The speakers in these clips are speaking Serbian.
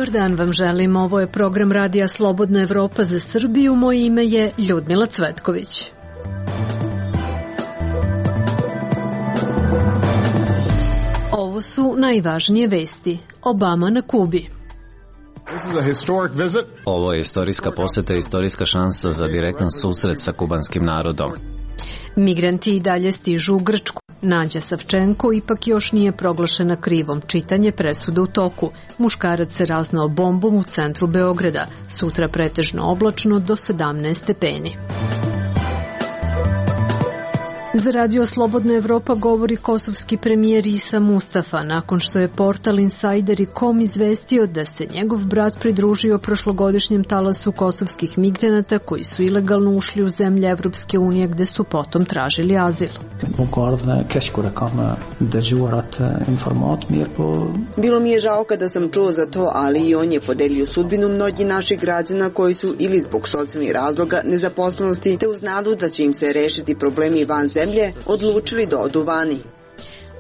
Dobar dan vam želim, ovo je program Radija Slobodna Evropa za Srbiju, moje ime je Ljudmila Cvetković. Ovo su najvažnije vesti. Obama na Kubi. Ovo je istorijska poseta i istorijska šansa za direktan susret sa kubanskim narodom. Migranti i dalje stižu u Grčku. Nađa Savčenko ipak još nije proglašena krivom. Čitanje presude u toku. Muškarac se raznao bombom u centru Beograda. Sutra pretežno oblačno do 17 stepeni. Za Radio Slobodna Evropa govori kosovski premijer Isa Mustafa nakon što je portal Insider.com izvestio da se njegov brat pridružio prošlogodišnjem talasu kosovskih migranata koji su ilegalno ušli u zemlje Evropske unije gde su potom tražili azil. Bilo mi je žao kada sam čuo za to, ali i on je podelio sudbinu mnogih naših građana koji su ili zbog socijalnih razloga, nezaposlenosti, te uz nadu da će im se rešiti problemi van zemlje, odlučili da odu vani.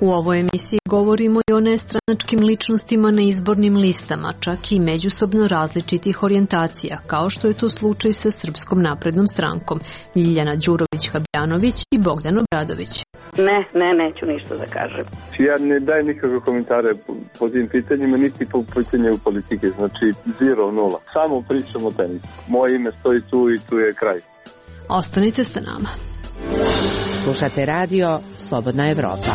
U ovoj emisiji govorimo i o nestranačkim ličnostima na izbornim listama, čak i međusobno različitih orijentacija, kao što je to slučaj sa Srpskom naprednom strankom, Ljiljana Đurović-Habjanović i Bogdan Obradović. Neću ništa da kažem. Ja ne dajem nikakve komentare po tim pitanjima, niti po pitanju politike, znači 0-0. Samo pričam o tenisu. Moje ime stoji tu i tu je kraj. Ostanite sa nama. Slušate radio Slobodna Evropa.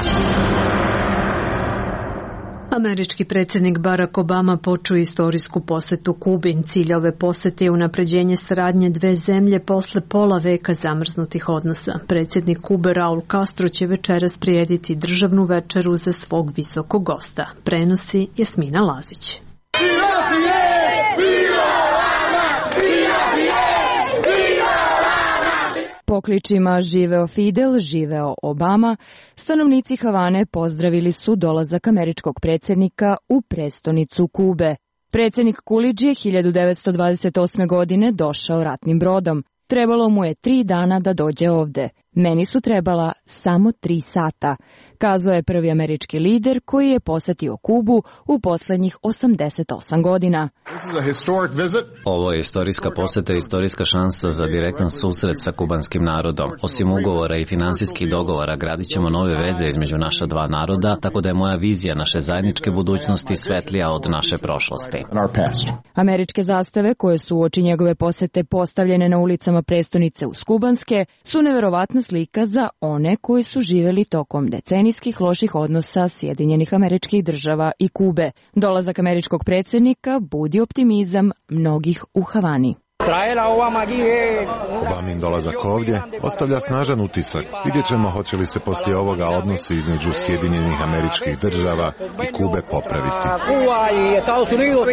Američki predsjednik Barack Obama počeo istorijsku posetu Kubi. Cilj ove posete je unapređenje saradnje dve zemlje posle pola veka zamrznutih odnosa. Predsjednik Kube Raul Castro će večeras prirediti državnu večeru za svog visokog gosta. Prenosi Jasmina Lazić. Pokličima živeo Fidel, živeo Obama, stanovnici Havane pozdravili su dolazak američkog predsjednika u prestonicu Kube. Predsjednik Kulidž je 1928. godine došao ratnim brodom. Trebalo mu je 3 dana da dođe ovde. Meni su trebala samo 3 sata, kazao je prvi američki lider koji je posetio Kubu u poslednjih 88 godina. Ovo je istorijska poseta i istorijska šansa za direktan susret sa kubanskim narodom. Osim ugovora i finansijskih dogovora, gradit ćemo nove veze između naša dva naroda, tako da je moja vizija naše zajedničke budućnosti svetlija od naše prošlosti. Američke zastave koje su uoči njegove posete postavljene na ulicama prestonice uz kubanske su neverovatna slika za one koji su živjeli tokom decenijskih loših odnosa Sjedinjenih Američkih Država i Kube. Dolazak američkog predsjednika budi optimizam mnogih u Havani. Obamin dolazak ovdje ostavlja snažan utisak. Vidjet ćemo hoće li se poslije ovoga odnosi između Sjedinjenih Američkih Država i Kube popraviti.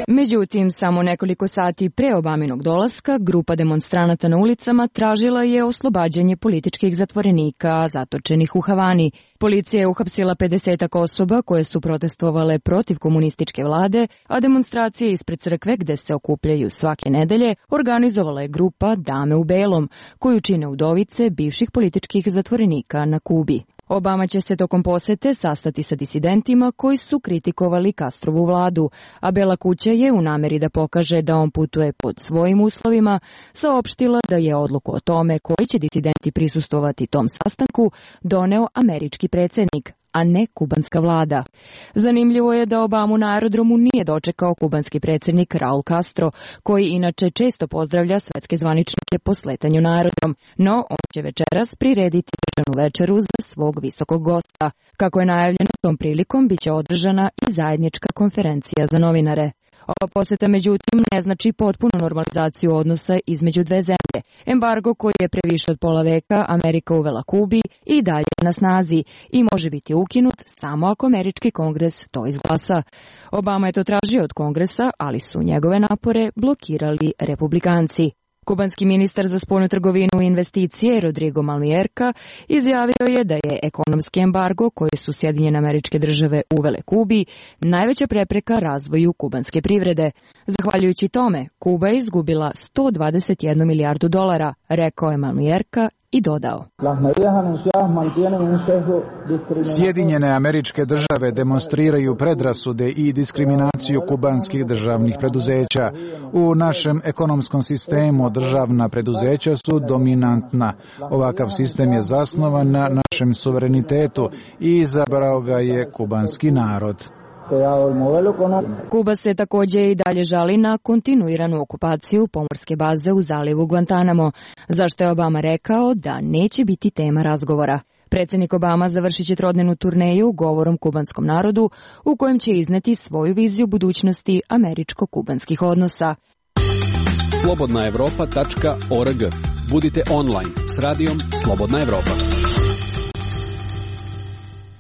Međutim, samo nekoliko sati pre Obaminog dolaska, grupa demonstranata na ulicama tražila je oslobađanje političkih zatvorenika zatočenih u Havani. Policija je uhapsila 50 osoba koje su protestovale protiv komunističke vlade, a demonstracije ispred crkve gde se okupljaju svake nedelje organizovala je grupa Dame u belom, koju čine udovice bivših političkih zatvorenika na Kubi. Obama će se tokom posete sastati sa disidentima koji su kritikovali Castrovu vladu, a Bela kuća je u nameri da pokaže da on putuje pod svojim uslovima saopštila da je odluku o tome koji će disidenti prisustvovati tom sastanku doneo američki predsjednik, a ne kubanska vlada. Zanimljivo je da Obamu na aerodromu nije dočekao kubanski predsjednik Raul Castro, koji inače često pozdravlja svetske zvaničnike po sletanju na aerodrom, no on će večeras prirediti državnu večeru za svog visokog gosta. Kako je najavljeno, tom prilikom biće održana i zajednička konferencija za novinare. Ova poseta, međutim, ne znači potpunu normalizaciju odnosa između dve zemlje. Embargo koji je pre više od pola veka Amerika uvela Kubi i dalje je na snazi i može biti ukinut samo ako američki kongres to izglasa. Obama je to tražio od kongresa, ali su njegove napore blokirali republikanci. Kubanski ministar za spoljnu trgovinu i investicije Rodrigo Malmierka izjavio je da je ekonomski embargo koji su Sjedinjene Američke Države uvele Kubi najveća prepreka razvoju kubanske privrede. Zahvaljujući tome, Kuba je izgubila $121 milijardu, rekao je Malmierka i dodao: Sjedinjene Američke Države demonstriraju predrasude i diskriminaciju kubanskih državnih preduzeća. U našem ekonomskom sistemu državna preduzeća su dominantna. Ovakav sistem je zasnovan na našem suverenitetu i izabrao ga je kubanski narod. Kuba se također i dalje žali na kontinuiranu okupaciju pomorske baze u zalivu Guantanamo, zašto je Obama rekao da neće biti tema razgovora. Predsjednik Obama završit će trodnevnu turneju govorom kubanskom narodu u kojem će izneti svoju viziju budućnosti američko-kubanskih odnosa. slobodnaevropa.org. Budite online s radijom Slobodna Evropa.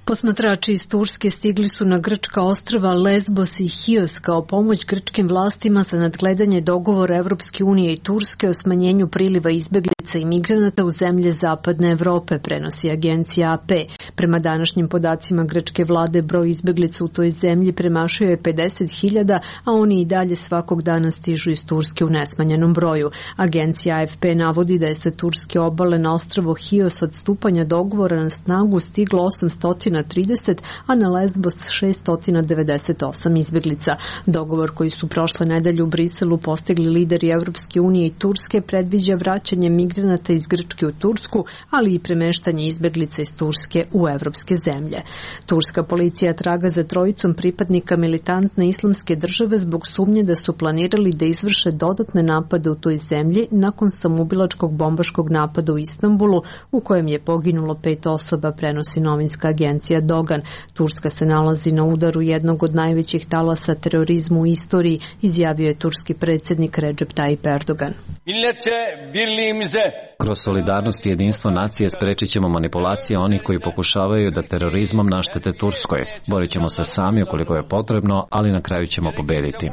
Posmatrači iz Turske stigli su na grčka ostrva Lesbos i Chios kao pomoć grčkim vlastima za nadgledanje dogovora Evropske unije i Turske o smanjenju priliva izbeglica i migranata u zemlje zapadne Evrope, prenosi agencija AP. Prema današnjim podacima grčke vlade, broj izbeglica u toj zemlji premašio je 50.000, a oni i dalje svakog dana stižu iz Turske u nesmanjenom broju. Agencija AFP navodi da je sa turske obale na ostrvo Chios od stupanja dogovora na snagu stiglo 830, a na Lesbos 698 izbeglica. Dogovor koji su prošle nedelje u Briselu postigli lideri Evropske unije i Turske predviđa vraćanje migranata iz Grčke u Tursku, ali i premeštanje izbeglica iz Turske u evropske zemlje. Turska policija traga za trojicom pripadnika militantne islamske države zbog sumnje da su planirali da izvrše dodatne napade u toj zemlji nakon samoubilačkog bombaškog napada u Istanbulu u kojem je poginulo 5 osoba, prenosi novinska agencija Dogan. Turska se nalazi na udaru jednog od najvećih talasa terorizma u istoriji, izjavio je turski predsjednik Recep Tayyip Erdogan. Kroz solidarnost i jedinstvo nacije sprečit ćemo manipulacije onih koji pokušavaju da terorizmom naštete Turskoj. Borit ćemo se sami ukoliko je potrebno, ali na kraju ćemo pobediti.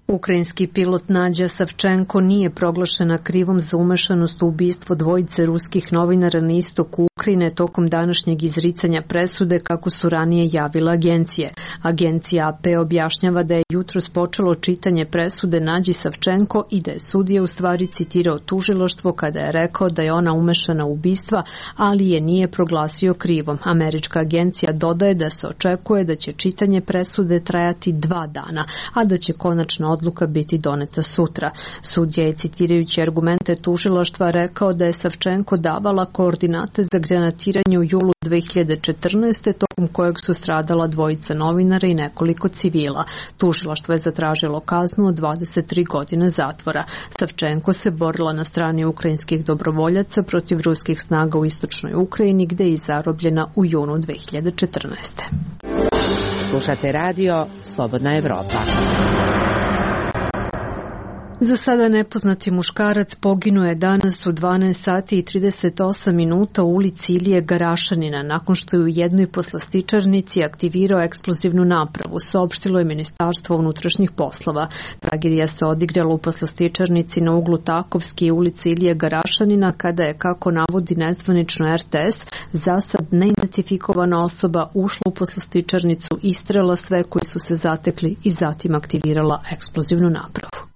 Ukrajinski pilot Nadja Savčenko nije proglašena krivom za umešanost u ubistvo dvojice ruskih novinara na istoku Ukrajine tokom današnjeg izricanja presude, kako su ranije javile agencije. Agencija AP objašnjava da je jutros počelo čitanje presude Nadji Savčenko i da je sudija u stvari citirao tužilaštvo kada je rekao da je ona umešana u ubistva, ali je nije proglasio krivom. Američka agencija dodaje da se očekuje da će čitanje presude trajati 2 dana, a da će konačna odluka biti doneta sutra. Sudija je, citirajući argumente tužilaštva, rekao da je Savčenko davala koordinate za granatiranje u julu 2014. tokom kojeg su stradala dvojica novinara i nekoliko civila. Tužilaštvo je zatražilo kaznu od 23 godine zatvora. Savčenko se borila na strani ukrajinskih dobrovoljaca protiv ruskih snaga u istočnoj Ukrajini, gde je zarobljena u junu 2014. Slušate radio Slobodna Evropa. Za sada nepoznati muškarac poginuo je danas u 12 sati i 38 minuta u ulici Ilije Garašanina nakon što je u jednoj poslastičarnici aktivirao eksplozivnu napravu, saopštilo je Ministarstvo unutrašnjih poslova. Tragedija se odigrala u poslastičarnici na uglu Takovske i ulice Ilije Garašanina kada je, kako navodi nezvanično RTS, za sad neidentifikovana osoba ušla u poslastičarnicu, istrela sve koji su se zatekli i zatim aktivirala eksplozivnu napravu.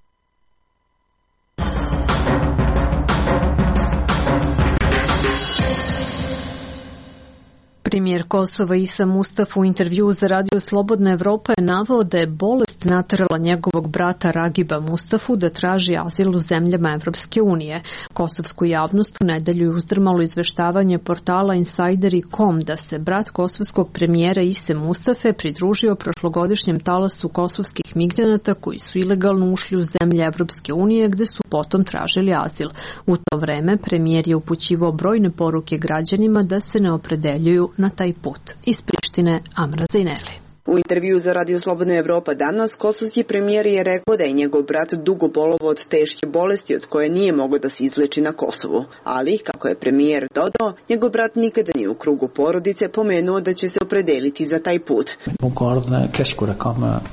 Premijer Kosova Isa Mustafa u intervjuu za Radio Slobodna Evropa je naveo da je bolest naterala njegovog brata Ragiba Mustafu da traži azil u zemljama Evropske unije. Kosovsku javnost u nedelju je uzdrmalo izveštavanje portala Insideri.com da se brat kosovskog premijera Ise Mustafe pridružio prošlogodišnjem talasu kosovskih migranata koji su ilegalno ušli u zemlje Evropske unije, gde su potom tražili azil. U to vreme premijer je upućivao brojne poruke građanima da se ne opredeljuju na taj put. Iz Prištine, Amra Zajneli. U intervju za Radio Slobodna Evropa danas, kosovski premijer je rekao da je njegov brat dugo bolovao od teške bolesti od koje nije mogao da se izleči na Kosovu. Ali, kako je premijer dodao, njegov brat nikada nije u krugu porodice pomenuo da će se opredeliti za taj put.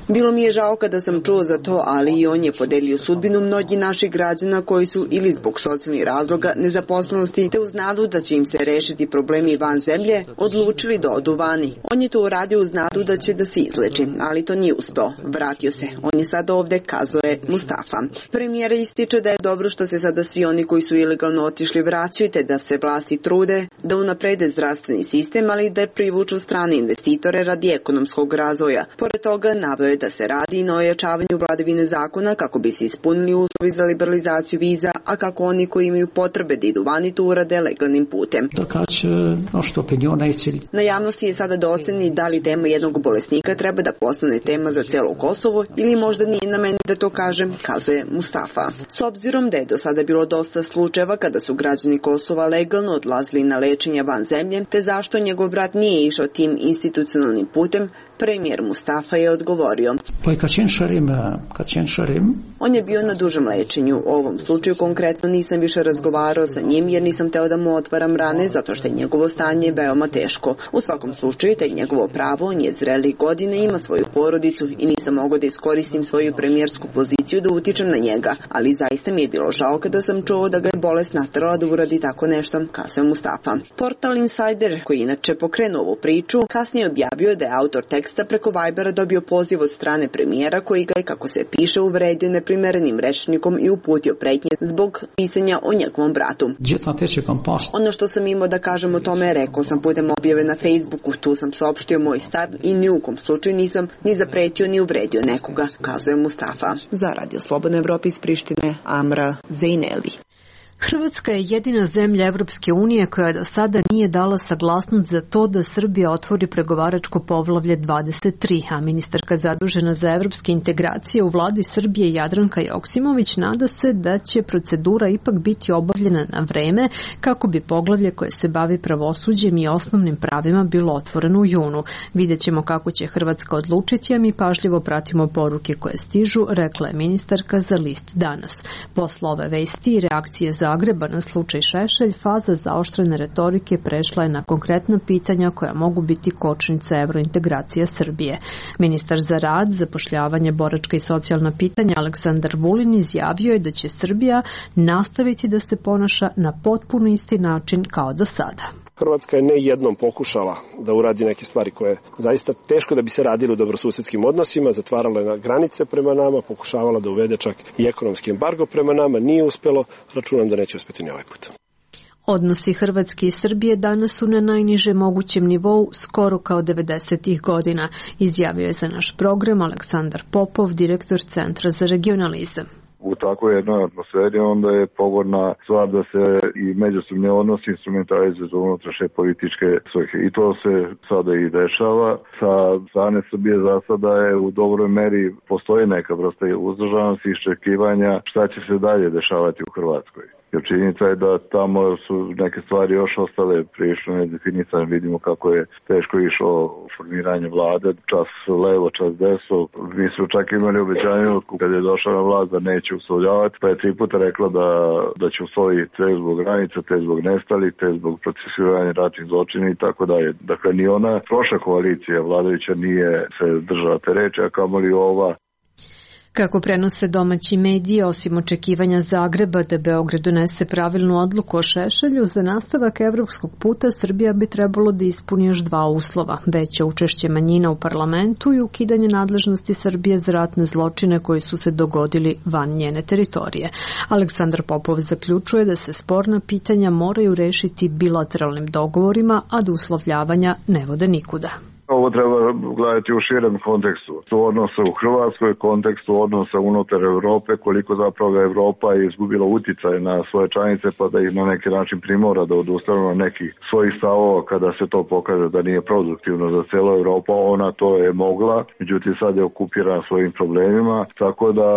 Bilo mi je žao kada sam čuo za to, ali i on je podelio sudbinu mnogih naših građana koji su ili zbog socijalnih razloga, nezaposlenosti, te uz nadu da će im se rešiti problemi van zemlje, odlučili da odu vani. On je to uradio uz nadu da će da da se izleči, ali to nije uspeo. Vratio se. On je sad ovde, kazuje Mustafa. Premijer ističe da je dobro što se sada svi oni koji su ilegalno otišli vraćaju, te da se vlasti trude da unaprede zdravstveni sistem, ali da privuču strane investitore radi ekonomskog razvoja. Pored toga, naveo je da se radi i na ojačavanju vladavine zakona kako bi se ispunili uslovi za liberalizaciju viza, a kako oni koji imaju potrebe da idu vani to urade legalnim putem. Na javnosti je sada da oceni da li tema jednog bolesnika treba da postane tema za celo Kosovo ili možda nije na meni da to kažem, kazuje Mustafa. S obzirom da je do sada bilo dosta slučajeva kada su građani Kosova legalno odlazili na lečenje van zemlje, te zašto njegov brat nije išao tim institucionalnim putem, premijer Mustafa je odgovorio. On je bio na dužem lečenju. U ovom slučaju konkretno nisam više razgovarao sa njim jer nisam teo da mu otvaram rane zato što je njegovo stanje veoma teško. U svakom slučaju, to je njegovo pravo, on je zreli godine, ima svoju porodicu i nisam mogao da iskoristim svoju premijersku poziciju da utičem na njega, ali zaista mi je bilo žao kada sam čuo da ga je bolest naterala da uradi tako nešto, kazuje Mustafa. Portal Insider, koji inače pokrenuo ovu priču, kasnije objavio da je autor teksta preko Vibera dobio poziv od strane premijera koji ga je, kako se piše, uvredio neprimerenim rečnikom i uputio pretnje zbog pisanja o njegovom bratu. Ono što sam imao da kažem o tome rekao sam putem objave na Facebooku, tu sam saopštio moj stav i ni u kom slučaju nisam ni zapretio ni uvredio nekoga, kazuje Mustafa. Za Radio Slobodna Evropa iz Prištine, Amra Zejneli. Hrvatska je jedina zemlja Evropske unije koja do sada nije dala saglasnost za to da Srbija otvori pregovaračko poglavlje 23, a ministarka zadužena za evropske integracije u vladi Srbije Jadranka Joksimović nada se da će procedura ipak biti obavljena na vreme kako bi poglavlje koje se bavi pravosuđem i osnovnim pravima bilo otvoreno u junu. Vidjet ćemo kako će Hrvatska odlučiti, a mi pažljivo pratimo poruke koje stižu, rekla je ministarka za list Danas. Posle ove vesti i reakcije Zagreba na slučaj Šešelj, faza zaoštrene retorike prešla je na konkretna pitanja koja mogu biti kočnica evrointegracija Srbije. Ministar za rad, zapošljavanje, boračka i socijalna pitanja Aleksandar Vulin izjavio je da će Srbija nastaviti da se ponaša na potpuno isti način kao do sada. Hrvatska je ne jednom pokušala da uradi neke stvari koje je zaista teško da bi se radili u dobrosusedskim odnosima, zatvarala je granice prema nama, pokušavala da uvede čak i ekonomski embargo prema nama, nije uspelo, računam da neće uspeti ni ovaj put. Odnosi Hrvatske i Srbije danas su na najnižem mogućem nivou, skoro kao 90-ih godina, izjavio je za naš program Aleksandar Popov, direktor Centra za regionalizam. U takvoj jednoj atmosferi onda je pogodna stvar da se i međusobni odnosi instrumentalizuju za unutrašnje političke svrhe. I to se sada i dešava. Sa strane Srbije za sada je u dobroj meri postoji neka vrsta uzdržanosti i iščekivanja šta će se dalje dešavati u Hrvatskoj. Jer činjenica je da tamo su neke stvari još ostale prilično nedefinisane. Vidimo kako je teško išlo formiranje vlade, čas levo, čas desno. Mi su čak imali obećanje kad je došla na vlast da neće uslovljavati, pa je 3 puta rekla da će usloviti te zbog granica, te zbog nestalih, te zbog procesuiranja ratnih zločina i tako dalje. Dakle, ni ona prošla koalicija vladajuća nije se držala te reči, a kamoli ova. Kako prenose domaći mediji, osim očekivanja Zagreba da Beograd donese pravilnu odluku o Šešelju, za nastavak evropskog puta Srbija bi trebalo da ispuni još 2 uslova: veće učešće manjina u parlamentu i ukidanje nadležnosti Srbije za ratne zločine koji su se dogodili van njene teritorije. Aleksandar Popov zaključuje da se sporna pitanja moraju rešiti bilateralnim dogovorima, a da uslovljavanja ne vode nikuda. Ovo treba gledati u širem kontekstu. Odnosa u Hrvatskoj, kontekstu odnosa unutar Evrope, koliko zapravo Evropa je izgubila uticaj na svoje članice pa da ih na neki način primora da odustanu na nekih svojih stavova kada se to pokaže da nije produktivno za cijelu Evropu. Ona to je mogla, međutim sad je okupirana svojim problemima, tako da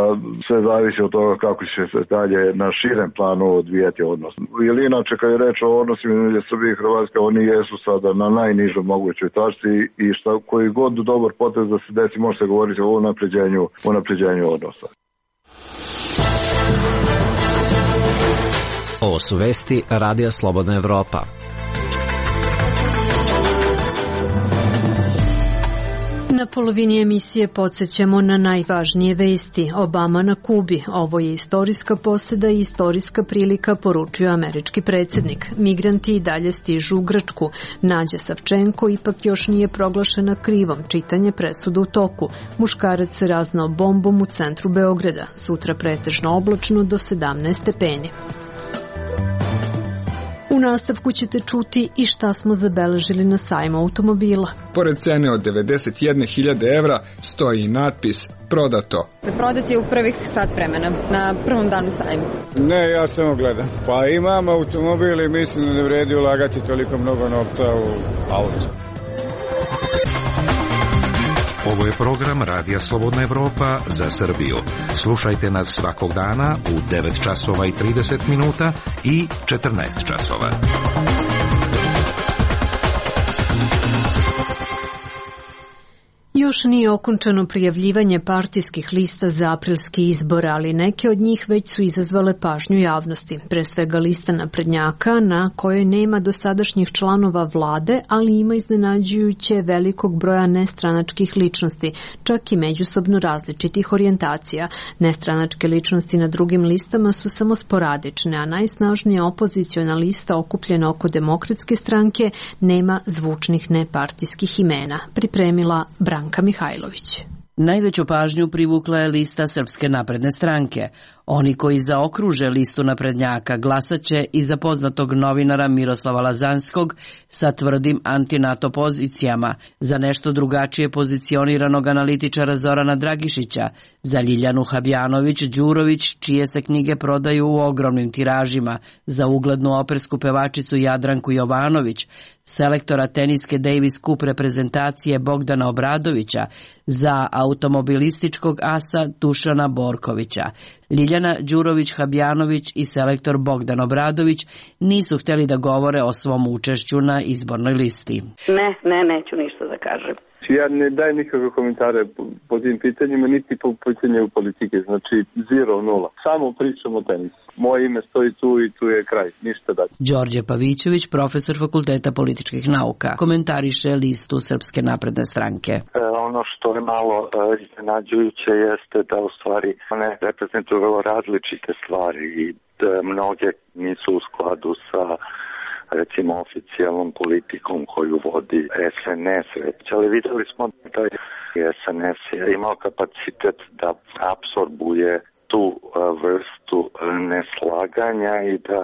sve zavisi od toga kako će se dalje na širem planu odvijati odnos. Ili inače kad je reč o odnosima između Srbije i Hrvatske, oni jesu sada na najnižoj mogućoj tačci i koji god dobar potez da se desi može se govoriti o unapređenju odnosa. Ovo su vesti Radija Slobodna Evropa. Na polovini emisije podsjećamo na najvažnije vesti. Obama na Kubi. Ovo je istorijska poseda i istorijska prilika, poručio američki predsjednik. Migranti i dalje stižu u Grčku. Nađa Savčenko ipak još nije proglašena krivom. Čitanje presude u toku. Muškarac se raznao bombom u centru Beograda. Sutra pretežno oblačno do 17 stepeni. U nastavku ćete čuti i šta smo zabeležili na sajmu automobila. Pored cene od 91.000 evra stoji i natpis prodato. Prodat je u prvih sat vremena, na prvom danu sajma. Ne, ja samo gledam. Pa imam automobil i mislim da ne vredi ulagati toliko mnogo novca u auto. Ovo je program Radija Slobodna Evropa za Srbiju. Slušajte nas svakog dana u 9 časova i 30 minuta i 14 časova. Još nije okončano prijavljivanje partijskih lista za aprilski izbor, ali neke od njih već su izazvale pažnju javnosti. Pre svega lista naprednjaka, na kojoj nema dosadašnjih članova vlade, ali ima iznenađujuće velikog broja nestranačkih ličnosti, čak i međusobno različitih orijentacija. Nestranačke ličnosti na drugim listama su samo sporadične, a najsnažnija opoziciona lista okupljena oko Demokratske stranke nema zvučnih nepartijskih imena. Pripremila Branka Mihajlović. Najveću pažnju privukla je lista Srpske napredne stranke. Oni koji zaokruže listu naprednjaka glasaće i za poznatog novinara Miroslava Lazanskog sa tvrdim anti-NATO pozicijama, za nešto drugačije pozicioniranog analitičara Zorana Dragišića, za Ljiljanu Habjanović-Đurović, čije se knjige prodaju u ogromnim tiražima, za uglednu opersku pevačicu Jadranku Jovanović, selektora teniske Davis Cup reprezentacije Bogdana Obradovića, za automobilističkog asa Dušana Borkovića. Ljiljana Đurović-Habjanović i selektor Bogdan Obradović nisu htjeli da govore o svom učešću na izbornoj listi. Ne, neću ništa da kažem. Ja ne dajem nikakve komentare po tim pitanjima, niti po pitanju politike, znači 0-0. Samo pričamo o tenisu. Moje ime stoji tu i tu je kraj, ništa dalje. Đorđe Pavićević, profesor Fakulteta političkih nauka, komentariše listu Srpske napredne stranke. Ono što je malo iznenađujuće jeste da u stvari one reprezentuju vrlo različite stvari i mnoge nisu u skladu sa recimo oficijalnom politikom koju vodi SNS. Ali vidjeli smo da je SNS imao kapacitet da apsorbuje tu vrstu neslaganja i da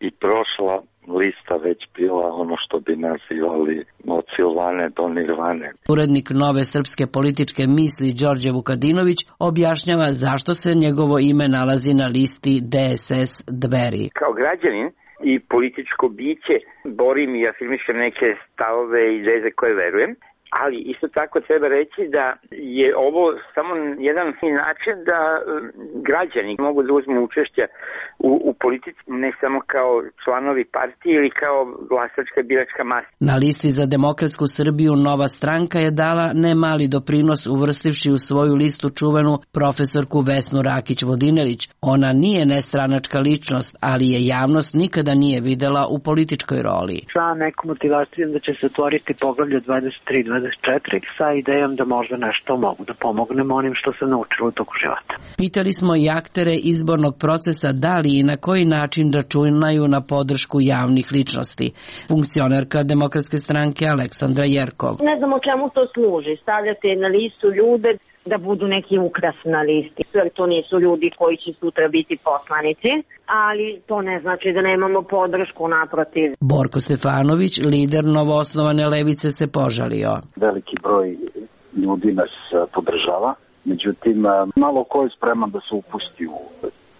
i prošla lista već bila ono što bi nazivali od Silvane do Nirvane. Urednik Nove srpske političke misli Đorđe Vukadinović objašnjava zašto se njegovo ime nalazi na listi DSS Dveri. Kao građanin i političko biće borim i afirmišem neke stavove i ideje koje verujem, ali isto tako treba reći da je ovo samo jedan način da građani mogu da uzmu učešće u politici, ne samo kao članovi partije ili kao glasačka biračka masa. Na listi za Demokratsku Srbiju Nova stranka je dala nemali doprinos uvrstivši u svoju listu čuvenu profesorku Vesnu Rakić-Vodinelić. Ona nije nestranačka ličnost, ali je javnost nikada nije videla u političkoj roli. Sa nekom motivacijom da će se otvoriti poglavlje 23-24 sa idejom da možda nešto mogu da pomognemo onim što sam naučila u toku života. Pitali smo i aktere izbornog procesa da li i na koji način računaju na podršku javnih ličnosti. Funkcionerka Demokratske stranke Aleksandra Jerkov. Ne znam o čemu to služi. Stavljate na listu ljude da budu neki ukras na listi. Jer to nisu ljudi koji će sutra biti poslanici, ali to ne znači da nemamo podršku, naprotiv. Borko Stefanović, lider novoosnovane levice, se požalio. Veliki broj ljudi nas podržava, međutim malo ko je spreman da se upusti u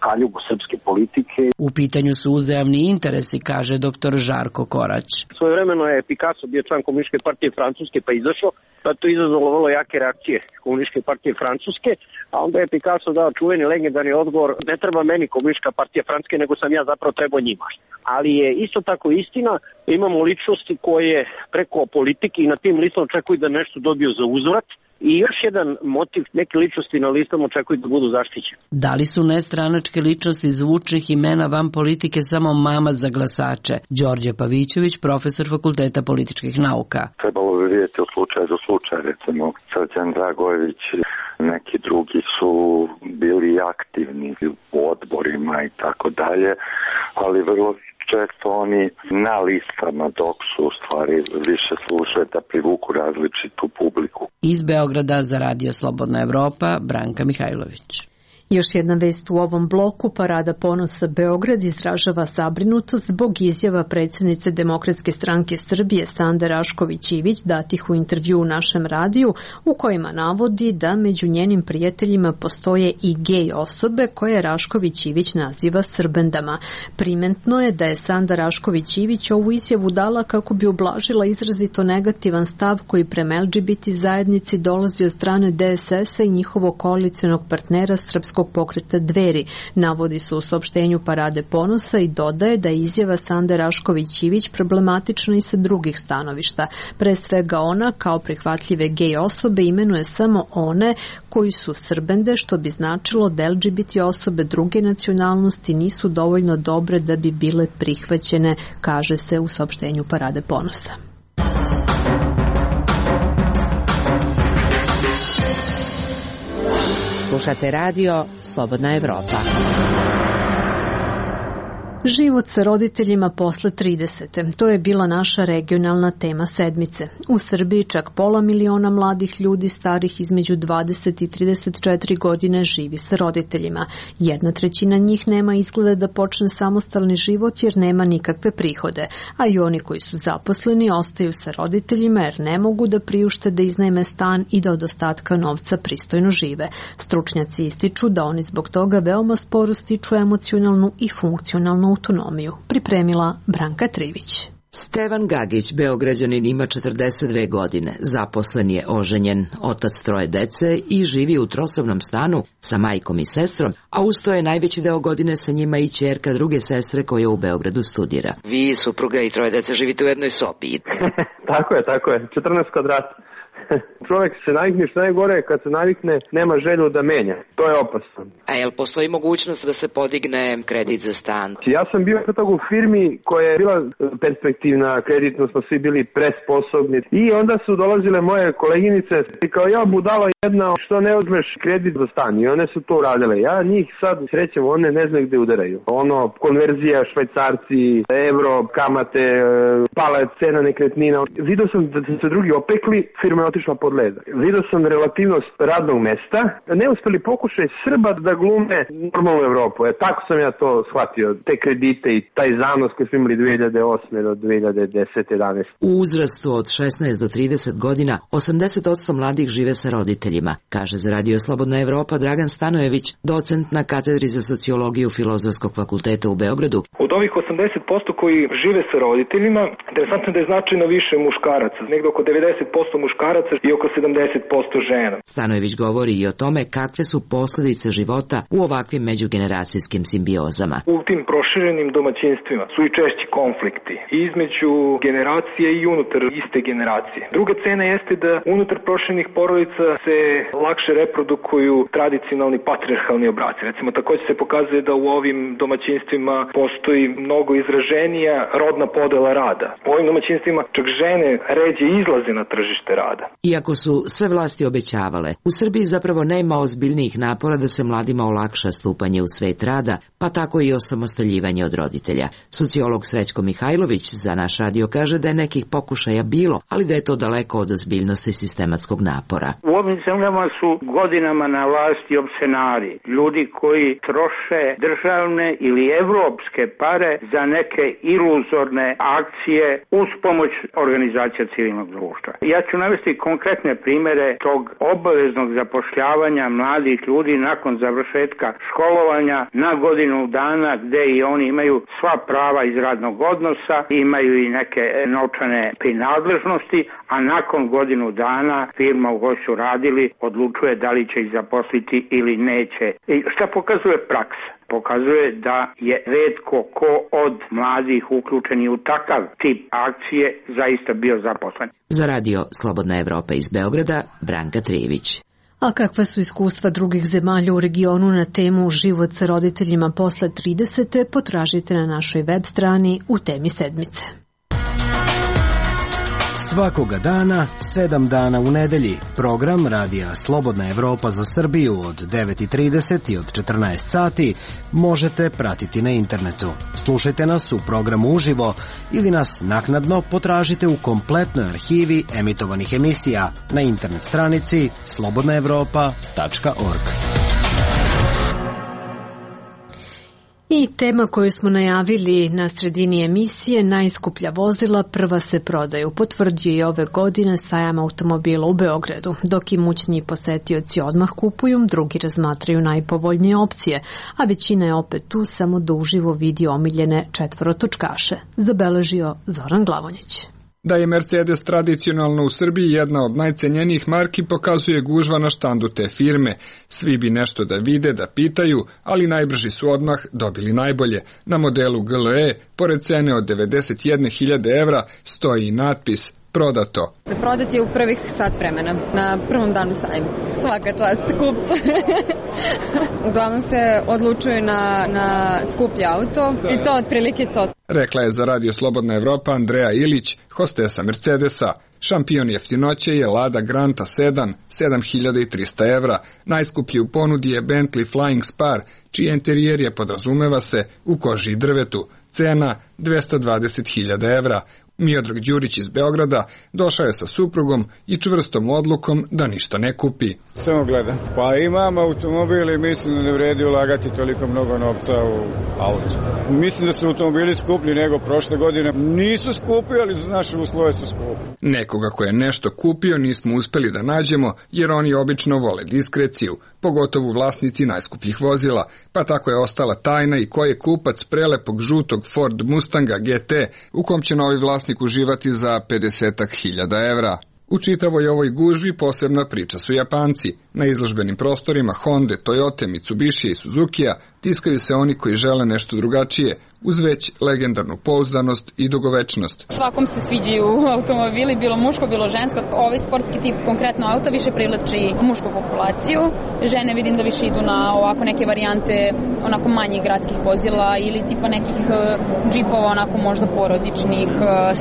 kaljugu srpske politike. U pitanju su uzajamni interesi, kaže dr. Žarko Korać. Svojevremeno je Picasso bio član Komunističke partije Francuske pa izašao, pa to izazvalo vrlo jake reakcije Komunističke partije Francuske, a onda je Picasso dao čuveni legendarni odgovor: ne treba meni Komunistička partija Francuske, nego sam ja zapravo trebao njima. Ali je isto tako istina, imamo ličnosti koje preko politike i na tim listama očekuju da nešto dobiju za uzvrat, I još jedan motiv, neke ličnosti na listama očekuju da budu zaštićene. Da li su nestranačke ličnosti zvučnih imena van politike samo mamac za glasače? Đorđe Pavićević, profesor Fakulteta političkih nauka. Trebalo bi vidjeti od slučaja do slučaja, recimo Srđan Dragojević, neki drugi su bili aktivni u odborima i tako dalje, ali vrlo često oni na listama, dok su u stvari više služe da privuku različitu publiku. Iz Beograda za Radio Slobodna Evropa, Branka Mihajlović. Još jedna vest u ovom bloku. Parada ponosa Beograd izražava zabrinutost zbog izjava predsjednice Demokratske stranke Srbije Sande Rašković-Ivić datih u intervju u našem radiju, u kojima navodi da među njenim prijateljima postoje i gej osobe koje Rašković-Ivić naziva srbendama. Primetno je da je Sanda Rašković-Ivić ovu izjavu dala kako bi ublažila izrazito negativan stav koji prema LGBT zajednici dolazi od strane DSS-a i njihovog koalicionog partnera Srpskog pokreta Dveri, navodi se u saopštenju Parade ponosa i dodaje da je izjava Sande Rašković-Ivić problematična i sa drugih stanovišta. Pre svega ona, kao prihvatljive gej osobe, imenuje samo one koji su srbende, što bi značilo da LGBT osobe druge nacionalnosti nisu dovoljno dobre da bi bile prihvaćene, kaže se u saopštenju Parade ponosa. Slušate radio Slobodna Evropa. Život sa roditeljima posle 30. To je bila naša regionalna tema sedmice. U Srbiji čak 500.000 mladih ljudi starih između 20 i 34 godine živi sa roditeljima. 1/3 njih nema izgleda da počne samostalni život jer nema nikakve prihode, a i oni koji su zaposleni ostaju sa roditeljima jer ne mogu da priušte da iznajme stan i da od ostatka novca pristojno žive. Stručnjaci ističu da oni zbog toga veoma sporo stiču emocionalnu i funkcionalnu autonomiju. Pripremila Branka Trivić. Stevan Gagić, Beograđanin, ima 42 godine, zaposlen je, oženjen, otac 3 dece i živi u trosobnom stanu sa majkom i sestrom, a uz to je najveći deo godine sa njima i ćerka druge sestre koja u Beogradu studira. Vi, supruga i 3 dece, živite u jednoj sobi. Tako je, 14 kvadrata. Čovjek se navikne, što najgore, kad se navikne, nema želju da menja. To je opasno. A jel postoji mogućnost da se podigne kredit za stan? Ja sam bio kod toga u firmi koja je bila perspektivna, kreditno smo svi bili presposobni. I onda su dolazile moje koleginice i kao ja budala jedna, što ne uzmeš kredit za stan? I one su to uradile. Ja njih sad srećem, one ne znaju gde udaraju. Konverzija, švajcarci, evro, kamate, pala je cena nekretnina. Vidio sam da se drugi opekli, firma je otišla pod led. Vidio sam relativnost radnog mesta, neuspeli pokušaj Srba da glume normalnu Evropu. Tako sam ja to shvatio, te kredite i taj zanos koji smo imali 2008. do 2010-11. U uzrastu od 16 do 30 godina 80% mladih žive sa roditeljima, kaže za Radio Slobodna Evropa Dragan Stanojević, docent na katedri za sociologiju Filozofskog fakulteta u Beogradu. Od ovih 80% koji žive sa roditeljima, interesantno da je značajno više muškaraca, negdje oko 90% muškaraca i oko 70% žena. Stanojević govori i o tome kakve su posljedice života u ovakvim međugeneracijskim simbiozama. U tim proširenim domaćinstvima su i češći konflikti između generacije i unutar iste generacije. Druga cena jeste da unutar proširenih porodica se lakše reprodukuju tradicionalni patrijarhalni obraci. Recimo, također se pokazuje da u ovim domaćinstvima postoji mnogo izraženija rodna podela rada. U ovim domaćinstvima čak žene ređe izlaze na tržište rada. Iako su sve vlasti obećavale, u Srbiji zapravo nema ozbiljnijih napora da se mladima olakša stupanje u svet rada, pa tako i osamostaljivanje od roditelja. Sociolog Srećko Mihajlović za naš radio kaže da je nekih pokušaja bilo, ali da je to daleko od ozbiljnosti sistematskog napora. U ovim zemljama su godinama na vlasti opsenari, ljudi koji troše državne ili evropske pare za neke iluzorne akcije uz pomoć organizacija civilnog društva. Ja ću navesti konkretne primere tog obaveznog zapošljavanja mladih ljudi nakon završetka školovanja na godinu dana, gde i oni imaju sva prava iz radnog odnosa, imaju i neke novčane prinadležnosti, a nakon godinu dana firma u kojoj su radili odlučuje da li će ih zaposliti ili neće. I šta pokazuje praksa? pokazuje da je retko ko od mladih uključeni u takav tip akcije zaista bio zaposlen. Za radio Slobodna Evropa iz Beograda, Branka Trijević. A kakva su iskustva drugih zemalja u regionu na temu život sa roditeljima posle 30. potražite na našoj web strani u temi sedmice. Svakoga dana, 7 dana u nedelji, program Radija Slobodna Evropa za Srbiju od 9:30 i od 14 sati možete pratiti na internetu. Slušajte nas u programu uživo ili nas naknadno potražite u kompletnoj arhivi emitovanih emisija na internet stranici slobodnaevropa.org. I tema koju smo najavili na sredini emisije, najskuplja vozila prva se prodaju, potvrdio je ove godine sajam automobila u Beogradu. Dok imućniji posetioci odmah kupuju, drugi razmatraju najpovoljnije opcije, a većina je opet tu samo da uživo vidi omiljene četvorotočkaše, zabeležio Zoran Glavonjić. Da je Mercedes tradicionalno u Srbiji jedna od najcenjenijih marki pokazuje gužva na štandu te firme. Svi bi nešto da vide, da pitaju, ali najbrži su odmah dobili najbolje. Na modelu GLE, pored cene od 91.000 evra, stoji i natpis prodato. Prodat je u prvih sat vremena, na prvom danu sajma. Svaka čast kupcu. Uglavnom se odlučuju na skuplji auto i to otprilike to. Rekla je za Radio Slobodna Evropa Andreja Ilić, hostesa Mercedesa. Šampion jeftinoće je Lada Granta Sedan, 7.300 evra. Najskuplji u ponudi je Bentley Flying Spar, čiji interijer je, podrazumeva se, u koži i drvetu. Cena 220.000 evra. Miodrag Đurić iz Beograda došao je sa suprugom i čvrstom odlukom da ništa ne kupi. Samo gledam. Pa imam automobil i mislim da ne vredi ulagati toliko mnogo novca u auto. Mislim da su automobili skuplji nego prošle godine. Nisu skupi, ali za naše uslove su skupi. Nekoga ko je nešto kupio nismo uspeli da nađemo, jer oni obično vole diskreciju, pogotovo vlasnici najskupljih vozila, pa tako je ostala tajna i ko je kupac prelepog žutog Ford Mustanga GT, u kom će novi vlasnik uživati za 50.000 evra. U čitavoj ovoj gužvi posebna priča su Japanci. Na izložbenim prostorima Honda, Toyota, Mitsubishi i Suzukija tiskaju se oni koji žele nešto drugačije, uz već legendarnu pouzdanost i dugovečnost. Svakom se sviđaju automobili, bilo muško, bilo žensko. Ovaj sportski tip, konkretno auta, više privlači mušku populaciju. Žene vidim da više idu na ovako neke varijante onako manjih gradskih vozila ili tipa nekih džipova, onako možda porodičnih,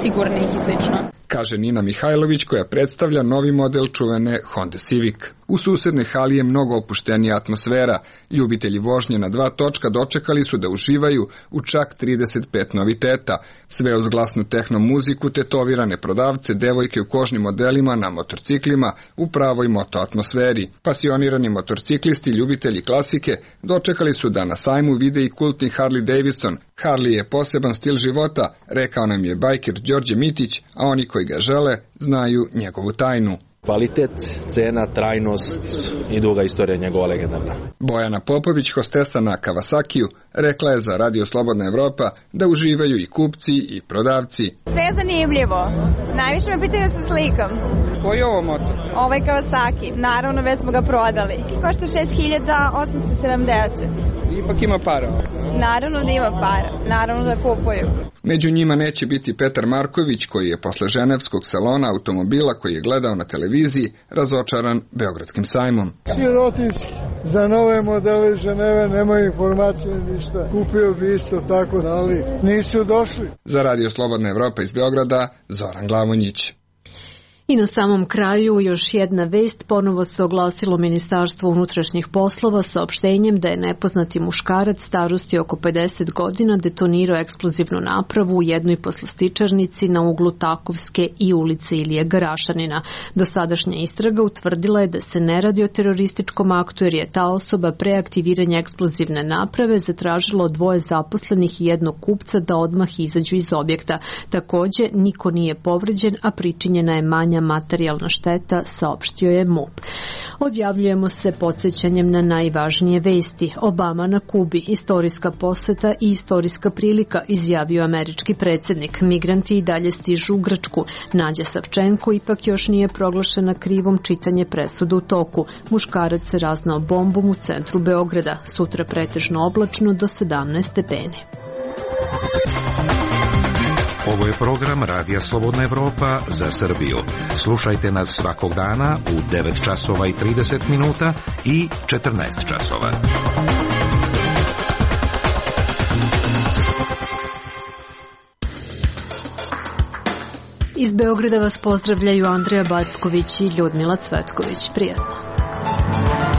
sigurnih i slično. Kaže Nina Mihajlović, koja predstavlja novi model čuvene Honda Civic. U susednoj hali je mnogo opuštenija atmosfera. Ljubitelji vožnje na dva točka dočekali su da uživaju u čak 35 noviteta. Sve uz glasnu tehno muziku, tetovirane prodavce, devojke u kožnim modelima na motorciklima u pravoj moto atmosferi. Pasionirani motorciklisti, ljubitelji klasike, dočekali su da na sajmu vide i kultni Harley Davidson. Harley je poseban stil života, rekao nam je bajker Đorđe Mitić, a oni koji ga žele znaju njegovu tajnu. Kvalitet, cena, trajnost i duga istorija njegova legendarna. Bojana Popović, hostesa na Kawasakiju, rekla je za Radio Slobodna Evropa da uživaju i kupci i prodavci. Sve je zanimljivo. Najviše me pitaju da se slikam. Koji je ovo motor? Ovaj Kawasaki. Naravno, već smo ga prodali. Košta 6.870. Ipak ima para. Naravno da ima para. Naravno da kupuju. Među njima neće biti Petar Marković, koji je posle ženevskog salona automobila koji je gledao na televiziji razočaran Beogradskim sajmom. Sirotinski. Za nove modele Ženeve nemaju informacije ništa. Kupio bi isto tako, ali nisu došli. Za Radio Slobodna Evropa iz Beograda, Zoran Glavonjić. I na samom kraju još jedna vest, ponovo se oglasilo Ministarstvo unutrašnjih poslova saopštenjem da je nepoznati muškarac starosti oko 50 godina detonirao eksplozivnu napravu u jednoj poslastičarnici na uglu Takovske i ulice Ilije Garašanina. Dosadašnja istraga utvrdila je da se ne radi o terorističkom aktu jer je ta osoba pre aktiviranja eksplozivne naprave zatražila od dvoje zaposlenih i jednog kupca da odmah izađu iz objekta. Takođe, niko nije povređen, a pričinjena je manja manja materijalna šteta, saopštio je MUP. Odjavljujemo se podsjećanjem na najvažnije vesti. Obama na Kubi, istorijska poseta i istorijska prilika, izjavio američki predsjednik. Migranti i dalje stižu u Grčku. Nađa Savčenko ipak još nije proglašena krivom, čitanje presude u toku. Muškarac se raznao bombom u centru Beograda. Sutra pretežno oblačno do 17 stepeni. Ovo je program Radija Slobodna Evropa za Srbiju. Slušajte nas svakog dana u 9 časova i 30 minuta i 14 časova. Iz Beograda vas pozdravljaju Andreja Backović i Ljudmila Cvetković. Prijatno.